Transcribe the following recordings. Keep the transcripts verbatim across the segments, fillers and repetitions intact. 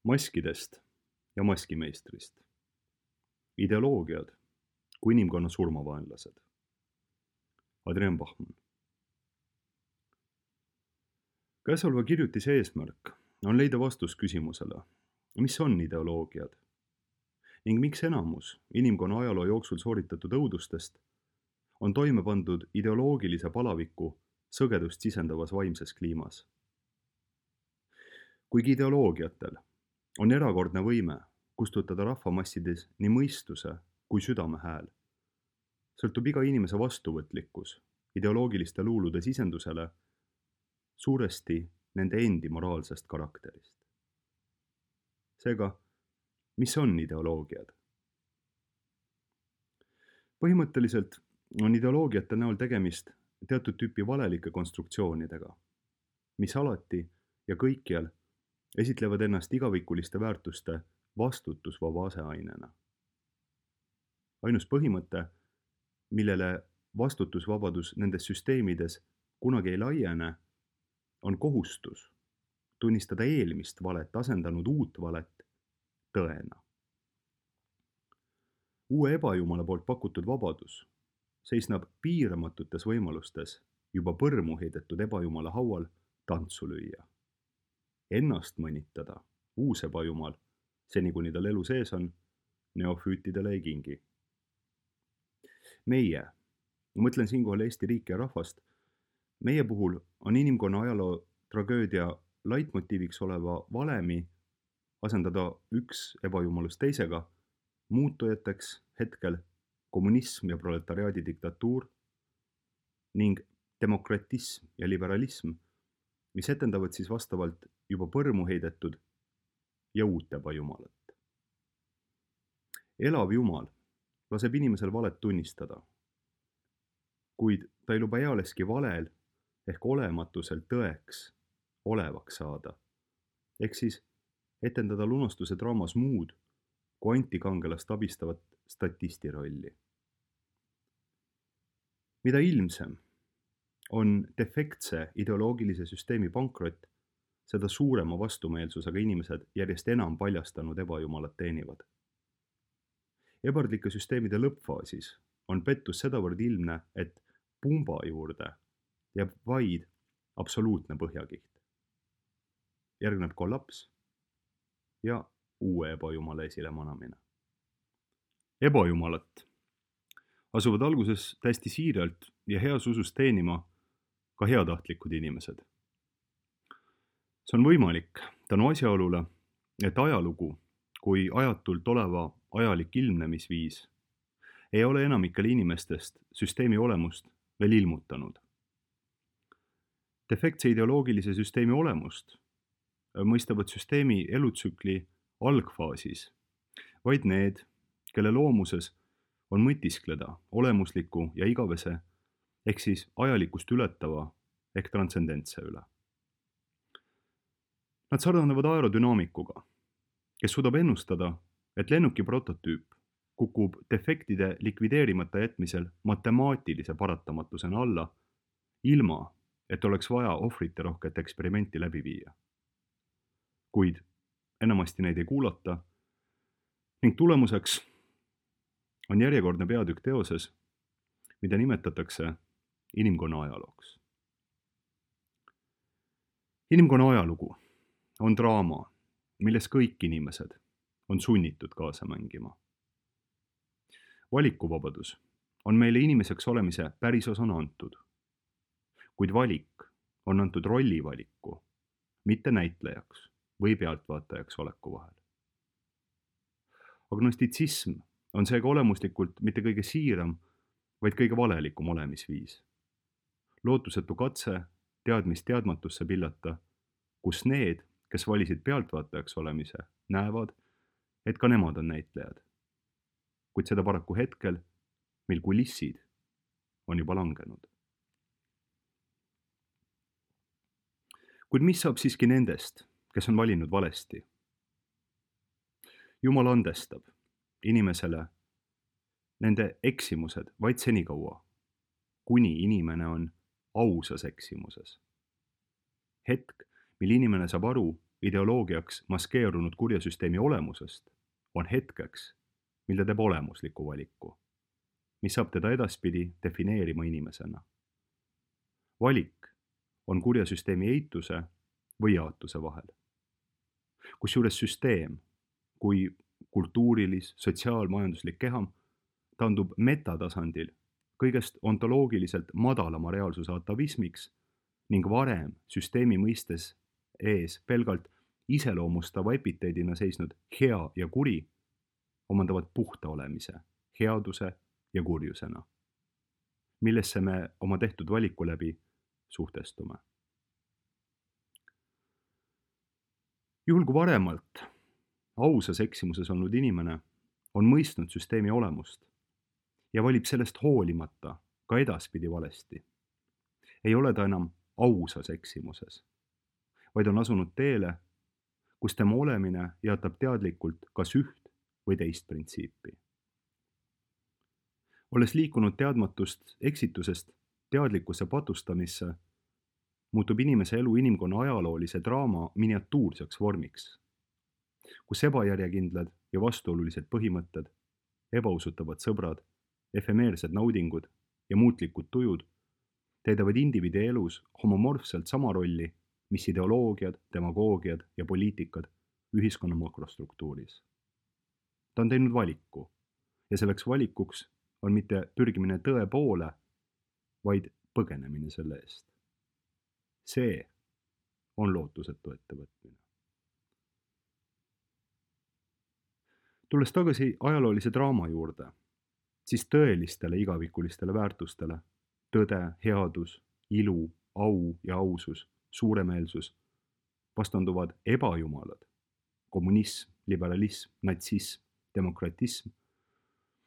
Maskidest ja maskimeistrist. Ideoloogiad kui inimkonna surmavaenlased. Adrian Bachmann. Käesoleva kirjutise eesmärk on leida vastus küsimusele, mis on ideoloogiad ning miks enamus inimkonna ajaloo jooksul sooritatud õudustest on toime pandud ideoloogilise palaviku sõgedust sisendavas vaimses kliimas. Kuigi ideoloogiatel on erakordne võime kustutada rahvamassides nii mõistuse kui südame hääl, sõltub iga inimese vastuvõtlikkus ideoloogiliste luulude sisendusele suuresti nende endi moraalsest karakterist. Seega, mis on ideoloogiad? Põhimõtteliselt on ideoloogiate näol tegemist teatud tüüpi valelike konstruktsioonidega, mis alati ja kõikjal esitlevad ennast igavikuliste väärtuste vastutusvaba aseainena. Ainus põhimõte, millele vastutusvabadus nendes süsteemides kunagi ei laiene, on kohustus tunnistada eelmist valet asendanud uut valet tõena. Uue ebajumala poolt pakutud vabadus seisnab piiramatutes võimalustes juba põrmu heidetud ebajumala haual tantsu lüüa. Ennast mõnitada uus ebajumal, seni kuni tal elu sees on, neofüütidele ei kingi. Meie, mõtlen siinkohal Eesti riiki ja rahvast, meie puhul on inimkonna ajaloo tragöödia laitmotiiviks oleva valemi asendada üks ebajumalus teisega, muutujateks hetkel kommunism ja proletariaadi diktatuur ning demokratism ja liberalism, mis etendavad siis vastavalt juba põrmu heidetud ja uut ebajumalat. Elav jumal laseb inimesel valet tunnistada, kuid ta ei luba ealeski valel ehk olematusel tõeks olevaks saada, ehk siis etendada lunastuse draamas muud kui antikangelast abistavat statisti rolli. Mida ilmsem on defektse ideoloogilise süsteemi pankrot, seda suurema vastumeelsusega inimesed järjest enam paljastanud ebajumalat teenivad. Ebardlike süsteemide lõppfaasis on pettus sedavõrd ilmne, et pumba juurde jääb vaid absoluutne põhjakiht. Järgneb kollaps ja uue ebajumala esilemanamine. Ebajumalat asuvad alguses täiesti siiralt ja heas usus teenima ka heatahtlikud inimesed. See on võimalik tänu asjaolule, et ajalugu kui ajatult oleva ajalik ilmnemisviis ei ole enamikele inimestest süsteemi olemust veel ilmutanud. Defektse ideoloogilise süsteemi olemust mõistavad süsteemi elutsükli algfaasis vaid need, kelle loomuses on mõtiskleda olemusliku ja igavese ehk siis ajalikust ületava ehk transcendentse üle. Nad sarnanevad aerodünaamikuga, kes suudab ennustada, et lennuki prototüüp kukub defektide likvideerimata jätmisel matemaatilise paratamatusena alla, ilma et oleks vaja ohvrite rohket eksperimenti läbi viia. Kuid enamasti neid ei kuulata ning tulemuseks on järjekordne peatükk teoses, mida nimetatakse inimkonna ajalooks. Inimkonna ajalugu on draama, milles kõik inimesed on sunnitud kaasa mängima. Valikuvabadus on meile inimeseks olemise päris osana antud, kuid valik on antud rollivaliku, mitte näitlejaks või pealtvaatajaks oleku vahel. Agnostitsism on seega olemuslikult mitte kõige siiram, vaid kõige valelikum olemisviis. Lootusetu katse teadmist teadmatusse pillata, kus need, kes valisid pealtvaatajaks olemise, näevad, et ka nemad on näitlejad. Kuid seda paraku hetkel, mil kulissid on juba langenud. Kuid mis saab siiski nendest, kes on valinud valesti? Jumal andestab inimesele nende eksimused vaid senikaua, kuni inimene on ausas eksimuses. Hetk, mil inimene saab aru, ideoloogiaks maskeerunud kurjasüsteemi olemusest, on hetkeks, mil ta teeb olemusliku valiku, mis saab teda edaspidi defineerima inimesena. Valik on kurjasüsteemi eituse või jaatuse vahel. Kusjuures süsteem, kui kultuurilis, sotsiaalmajanduslik keham, taandub metatasandil kõigest ontoloogiliselt madalama reaalsuse atavismiks ning varem süsteemi mõistes ees pelgalt iseloomustava epiteedina seisnud hea ja kuri omandavad puhta olemise, headuse ja kurjusena, millesse me oma tehtud valiku läbi suhtestume. Juhul kui varemalt ausas eksimuses olnud inimene on mõistnud süsteemi olemust ja valib sellest hoolimata ka edaspidi valesti, ei ole ta enam ausas eksimuses, vaid on asunud teele, kus tema olemine jaatab teadlikult kas üht või teist printsiipi. Olles liikunud teadmatust eksitusest teadlikkuse patustamisse, muutub inimese elu inimkonna ajaloolise draama miniatuurseks vormiks, kus ebajärjekindlad ja vastuolulised põhimõtted, ebausutavad sõbrad, efemeersed naudingud ja muutlikud tujud täidavad indiviidi elus homomorfselt sama rolli, mis ideoloogiad, demagoogiad ja poliitikad ühiskonna makrostruktuuris. Ta on teinud valiku ja selleks valikuks on mitte pürgimine tõe poole, vaid põgenemine selle eest. See on lootusetu ettevõtmine. Tulles tagasi ajaloolise draama juurde, siis tõelistele igavikulistele väärtustele, tõde, headus, ilu, au ja ausus, suuremeelsus, vastanduvad ebajumalad, kommunism, liberalism, natsism, demokratism,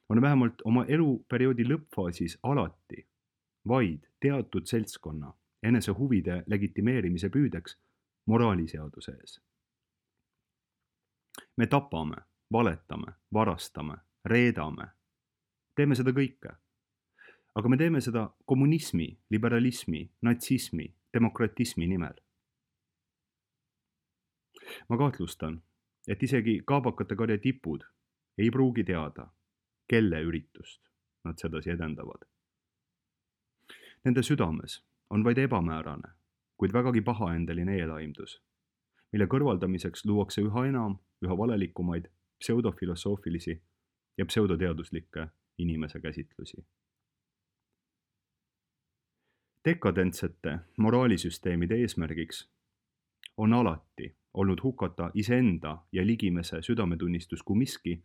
on vähemalt oma eluperioodi lõppfaasis alati vaid teatud seltskonna enese huvide legitimeerimise püüdeks moraaliseaduse ees. Me tapame, valetame, varastame, reedame, teeme seda kõike. Aga me teeme seda kommunismi, liberalismi, natsismi, demokratismi nimel. Ma kahtlustan, et isegi kaabakate karja tipud ei pruugi teada, kelle üritust nad sedasi edendavad. Nende südames on vaid ebamäärane, kuid vägagi pahaendeline eelaimdus, mille kõrvaldamiseks luuakse üha enam, üha valelikumaid pseudofilosoofilisi ja pseudoteaduslikke inimese käsitlusi. Dekadentsete moraalisüsteemide eesmärgiks on alati olnud hukata iseenda ja ligimese südametunnistus kui miski,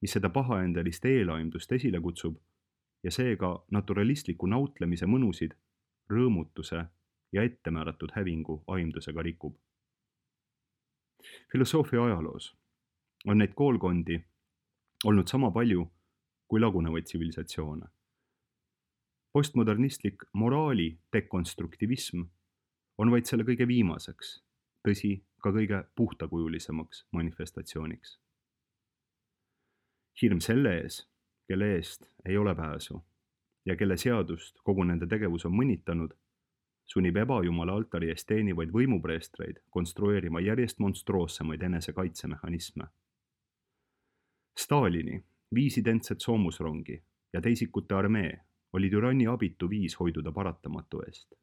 mis seda pahaendelist eelaimdust esile kutsub ja seega naturalistliku nautlemise mõnusid, rõõmutuse ja ettemääratud hävingu aimdusega rikub. Filosoofia ajaloos on neid koolkondi olnud sama palju kui lagunevaid tsivilisatsioone. Postmodernistlik moraali dekonstruktivism on vaid selle kõige viimaseks, tõsi, ka kõige puhtakujulisemaks manifestatsiooniks. Hirm selle ees, kelle eest ei ole pääsu ja kelle seadust kogu nende tegevus on mõnitanud, sunnib ebajumala altari eest teenivaid võimupreestreid konstrueerima järjest monstroossemaid enesekaitsemehhanisme. Stalini viis identset soomusrongi ja teisikute armee oli türanni abitu viis hoiduda paratamatu eest.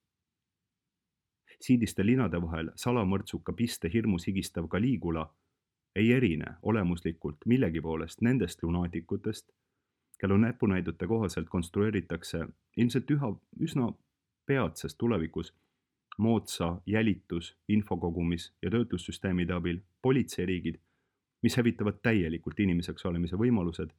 Siidiste linade vahel salamõrtsuka piste hirmus higistav Caligula ei erine olemuslikult millegi poolest nendest lunaatikutest, kelle näpunäidute kohaselt konstrueeritakse ilmselt üha, üsna peatses tulevikus moodsa jälitus, infokogumis ja töötlussüsteemide abil politseiriigid, mis hävitavad täielikult inimeseks olemise võimalused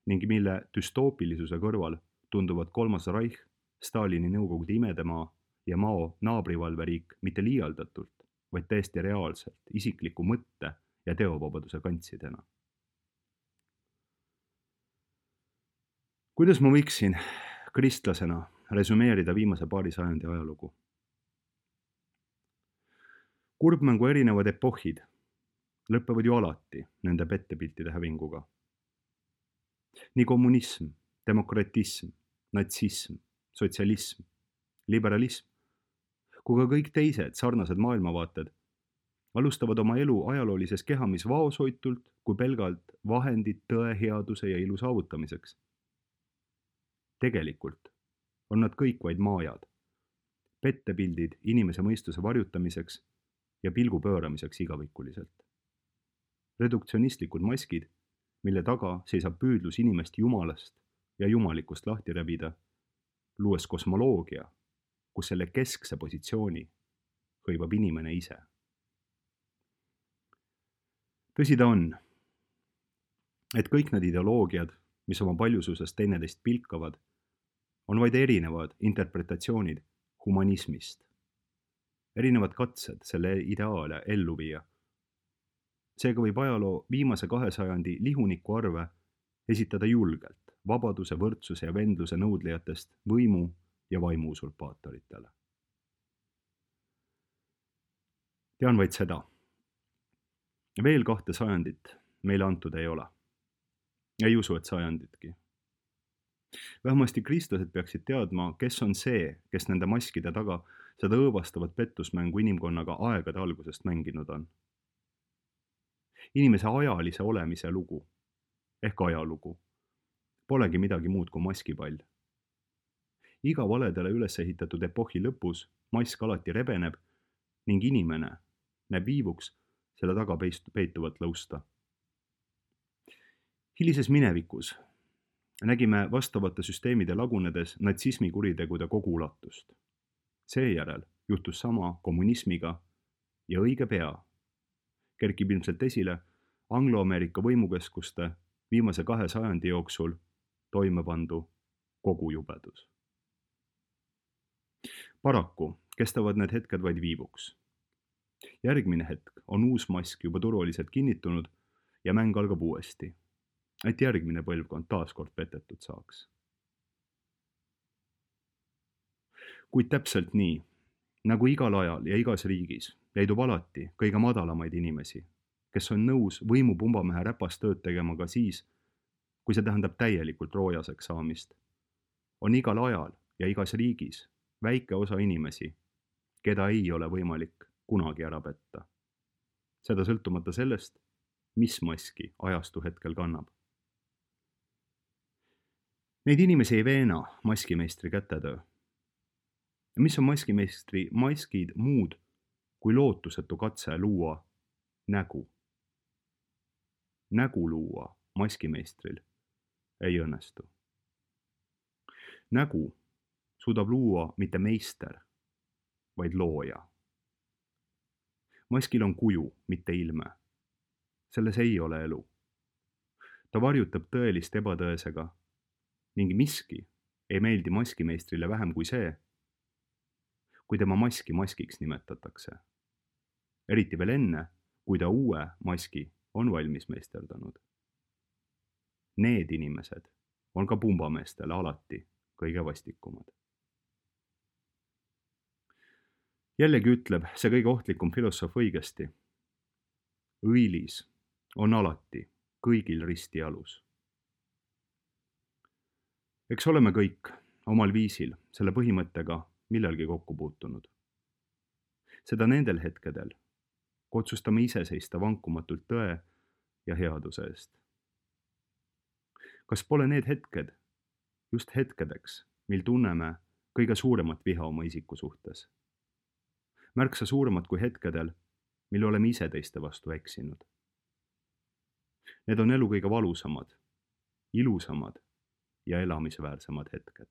ning mille düstoopilisuse kõrval tunduvad kolmas Reich, Stalini Nõukogude imedemaa ja Mao naabrivalveriik mitte liialdatult, vaid täiesti reaalselt isikliku mõtte ja teovabaduse kantsidena. Kuidas ma võiksin kristlasena resümeerida viimase paari sajandi ajalugu? Kurbmängu erinevad epohhid lõppevad ju alati nende pettepiltide hävinguga. Nii kommunism, demokratism, natsism, sotsialism, liberalism, kui ka kõik teised sarnased maailmavaated alustavad oma elu ajaloolises kehamis vaoshoitult kui pelgalt vahendid tõe, headuse ja ilu saavutamiseks. Tegelikult on nad kõik vaid maajad, pettepildid inimese mõistuse varjutamiseks ja pilgu pööramiseks igavikuliselt. Reduktsionistlikud maskid, mille taga seisab püüdlus inimest jumalast ja jumalikust lahti rebida, luues kosmoloogia, kus selle keskse positsiooni hõivab inimene ise. Tõsi ta on, et kõik need ideoloogiad, mis oma paljususest teineteist pilkavad, on vaid erinevad interpretatsioonid humanismist, erinevad katsed selle ideaale ellu viia. Seega võib ajaloo viimase kahe sajandi lihuniku arve esitada julgelt vabaduse, võrdsuse ja vendluse nõudlijatest võimu ja vaimu usurpaatoritele. Tean vaid seda. Veel kahte sajandit meile antud ei ole. Ei usu, et sajanditki. Vähemasti kristlased peaksid teadma, kes on see, kes nende maskide taga seda õõvastavat pettusmängu inimkonnaga aegade algusest mänginud on. Inimese ajalise olemise lugu, ehk ajalugu, polegi midagi muud kui maskipall. Iga valedele üles ehitatud epohhi lõpus mask alati rebeneb ning inimene näeb viivuks selle taga peituvat lõusta. Hilises minevikus nägime vastavate süsteemide lagunedes natsismi kuritegude kogu ulatust. Seejärel juhtus sama kommunismiga ja õige pea kerkib ilmselt esile Anglo-Ameerika võimukeskuste viimase kahe sajandi jooksul toime pandu kogu jubedus. Paraku kestavad need hetked vaid viivuks. Järgmine hetk on uus mask juba turvaliselt kinnitunud ja mäng algab uuesti, et järgmine põlvkond taaskord petetud saaks. Kuid täpselt nii, nagu igal ajal ja igas riigis, leidub alati kõige madalamaid inimesi, kes on nõus võimupumbamehe räpast tööd tegema ka siis, kui see tähendab täielikult roojaseks saamist. On igal ajal ja igas riigis väike osa inimesi, keda ei ole võimalik kunagi ära petta. Seda sõltumata sellest, mis maski ajastu hetkel kannab. Neid inimesi ei veena maskimeistri kätetöö. Mis on maskimeistri maskid muud kui lootusetu katse luua nägu? Nägu luua maskimeistril ei õnnestu. Nägu suudab luua mitte meister, vaid looja. Maskil on kuju, mitte ilme. Selles ei ole elu. Ta varjutab tõelist ebatõesega ning miski ei meeldi maskimeistrile vähem kui see, kui tema maski maskiks nimetatakse. Eriti veel enne, kui ta uue maski on valmis meisterdanud. Need inimesed on ka pumbameestele alati kõige vastikumad. Jällegi ütleb see kõige ohtlikum filosoof õigesti. Õilis on alati kõigil risti alus. Eks oleme kõik omal viisil selle põhimõttega millalgi kokku puutunud. Seda nendel hetkedel, kui otsustame ise seista vankumatult tõe ja headuse eest. Kas pole need hetked just hetkedeks, mil tunneme kõige suuremat viha oma isiku suhtes? Märksa suuremat kui hetkedel, mil oleme ise teiste vastu eksinud. Need on elu kõige valusamad, ilusamad ja elamisväärsemad hetked.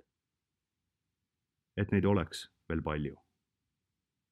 Et neid oleks veel palju.